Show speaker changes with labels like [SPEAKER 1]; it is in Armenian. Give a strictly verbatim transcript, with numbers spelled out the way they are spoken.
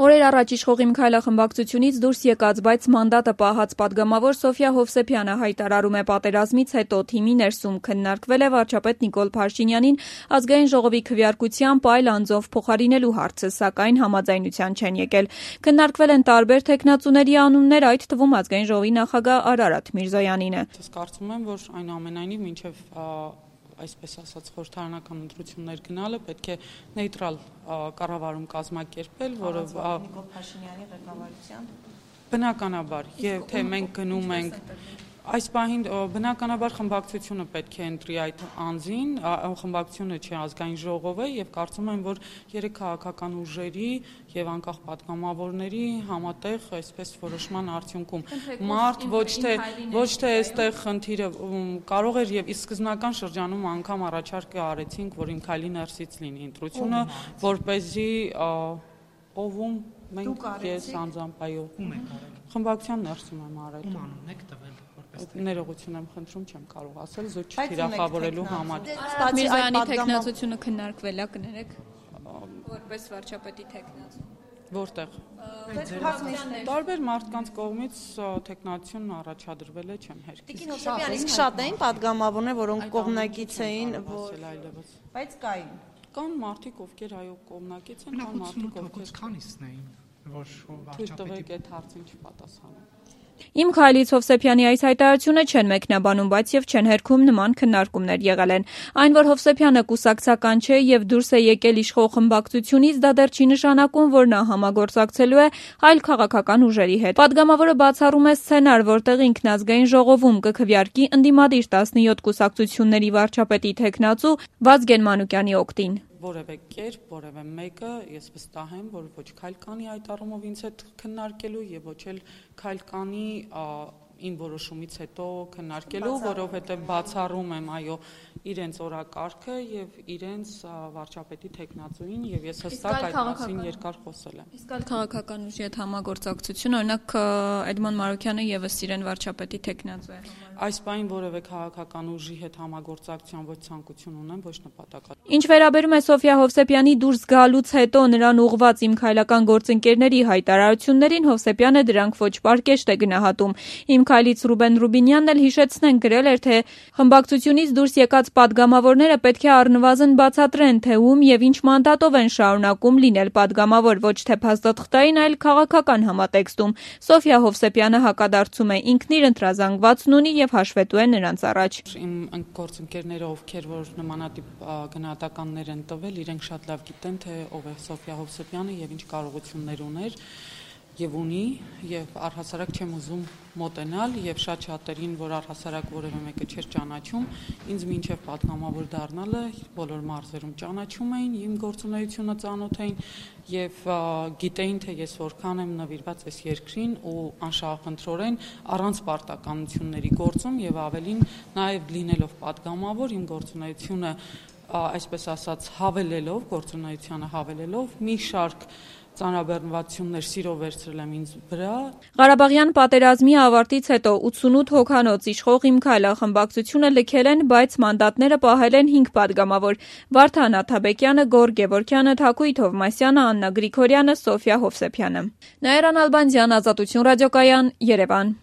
[SPEAKER 1] Օրեր առաջ իշխող Իմ քայլախմբակցությունից դուրս եկած, բայց մանդատը պահած պատգամավոր Սոֆյա Հովսեփյանը հայտարարում է պատերազմից հետո թիմի ներսում քննարկվել է վարչապետ Նիկոլ Փաշինյանին ազգային ժողովի քվեարկությամբ այլ անձով փոխարինելու հարցը, սակայն համաձայնության չեն եկել։ Քննարկվել են տարբեր թեկնածուների անուններ, այդ թվում ազգային ժողովի նախագահ Արարատ Միրզոյանինը։
[SPEAKER 2] Ես կարծում եմ, որ այնուամենայնիվ մինչև այսպես ասած խորհրդարանական ընտրություններ գնալը պետք է նեյտրալ կառավարում կազմակերպել, որը
[SPEAKER 1] Նիկոլ Փաշինյանի ղեկավարությամբ
[SPEAKER 2] բնականաբար, եւ թե մենք գնում ենք այս պահին բնականաբար խմբակցությունը պետք է ընտրի այդ անձին, խմբակցությունը չի ազգային ժողովը եւ կարծում եմ, որ երեք քաղաքական ուժերի եւ անկախ պատգամավորների համատեղ այսպես որոշման արդյունքում մարդ ոչ թե ոչ թե այստեղ խնդիրը կարող էր եւ իսկ սկզբնական շրջանում անգամ առաջարկը արեցինք, որ Իմ քայլի ներսից լինի ընտրությունը, որ เป զի ովում մենք ես անձամբ այո խմբակցության ներսում եմ արել։
[SPEAKER 3] Ում անուն եք տվել?
[SPEAKER 2] Ներողություն եմ խնդրում, չեմ կարող ասել, զոչ չթիրախավորելու համար։
[SPEAKER 1] Միրզոյանի թեկնածությունը քննարկվել է, կներեք, որպես վարչապետի թեկնածու։
[SPEAKER 2] Որտեղ։ Տարբեր մարդկանց կողմից թեկնածությունն առաջադրվել է, չեմ հերքել։
[SPEAKER 4] Տիկին Հովսեփյան, իսկ շատ էին պատգամավորներ, որոնք կողմնակից էին, բայց կային։
[SPEAKER 2] Կան մարդիկ, ովքեր այո կողմնակից են, կան մարդիկ, ովքեր
[SPEAKER 3] քանիսն էին, որ
[SPEAKER 2] վարչապետի այդ հարցին չպատասխանում։
[SPEAKER 1] Իմ քայլից Հովսեփյանի այս հայտարարությունը չեն մեկնաբանում, բայց եւ չեն հերքում նման քննարկումներ եղել են։ Այն, որ Հովսեփյանը կուսակցական չէ եւ դուրս է եկել իշխող խմբակցությունից, դա դեռ չի նշանակում, որ նա համագործակցելու է այլ քաղաքական ուժերի հետ։ Պատգամավորը բացառում է սցենար, որտեղ ինքն ազգային ժողովում կքվեարկի ընդդիմադիր տասնյոթ կուսակցությունների վարչապետի թեկնածու Վազգեն Մանուկյանի օգտին։
[SPEAKER 2] Որևէ կերպ, որևէ մեկը ես վստահ եմ, որ ոչ քայլ կանի այդ առումով ինձ հետ քննարկելու եւ ոչ էլ քայլ կանի իմ որոշումից հետո քննարկելու, որովհետեւ բացառում եմ այո իրենց օրակարգը եւ իրենց վարչապետի թեկնածուին եւ ես հստակ այդ մասին երկար խոսել եմ։
[SPEAKER 1] Իսկ այլ քաղաքական ուժի հետ համագործակցություն, օրինակ Էդմոն Մարուկյանը եւս իրեն վարչապետի թեկնածու է։
[SPEAKER 2] Այս բանին որևէ քաղաքական ուժի հետ համագործակցության ոչ ցանկություն ունեմ, ոչ նպատակ։
[SPEAKER 1] Ինչ վերաբերում է Սոֆյա Հովսեփյանի դուրս գալուց հետո նրան ուղղված Իմ քայլական գործընկերների հայտարարություններին, Հովսեփյանը դրանք ոչ պարկեշտ է գնահատում։ Իմ քայլից Ռուբեն Ռուբինյանն էլ հիշեցնեն գրել էր, թե խմբակցությունից դուրս եկած պատգամավորները պետք է առնվազն բացատրեն, թե ում եւ ինչ մանդատով են շարունակում լինել պատգամավոր, ոչ թե փաստաթղթային, այլ քաղաքական համատեքստում։ Սոֆյա Հովսեփյանը հակադարձում է, ինքն իր ընտրազանգվածն ունի եւ հաշվետու է նրանց առաջ։
[SPEAKER 2] Իմ գործընկերները, ովքեր որ նմանատիպ գնահատականներ են տվել, իրենք շատ լավ գիտեն, թե ով է Սոֆյա Հովսեփյանը եւ ինչ կարողություններ ուներ եւ ունի եւ առհասարակ չեմ ուզում մոտենալ եւ շատ շատերին, որ առհասարակ որևէ մեկը չէր ճանաչում, ինձ մինչեւ պատգամավոր դառնալը բոլոր մարզերում ճանաչում էին, իմ գործունեությունը ծանոթ էին եւ գիտեին, թե ես որքան եմ նվիրված այս երկրին ու անշահախնդրորեն առանց պարտականությունների գործում եւ ավելին նաեւ լինելով պատգամավոր իմ գործունեությունը այսպես ասած հավելելով, գործունեությանը հավելելով մի շարք ծանրաբեռնվածություններ սիրով վերցրել եմ ինձ վրա։
[SPEAKER 1] Ղարաբաղյան պատերազմի ավարտից հետո ութսունութ հոգանոց իշխող Իմ քայլախմբակցությունը լքել են, բայց մանդատները պահել են հինգ պատգամավոր՝ Վարդան Աթաբեկյանը, Գոռ Գևորգյանը, Թակույ Թովմասյանը, Աննա Գրիգորյանը, Սոֆյա Հովսեփյանը։ Նաիրա Նալբանդյան, Ազատություն ռադիոկայան, Երևան։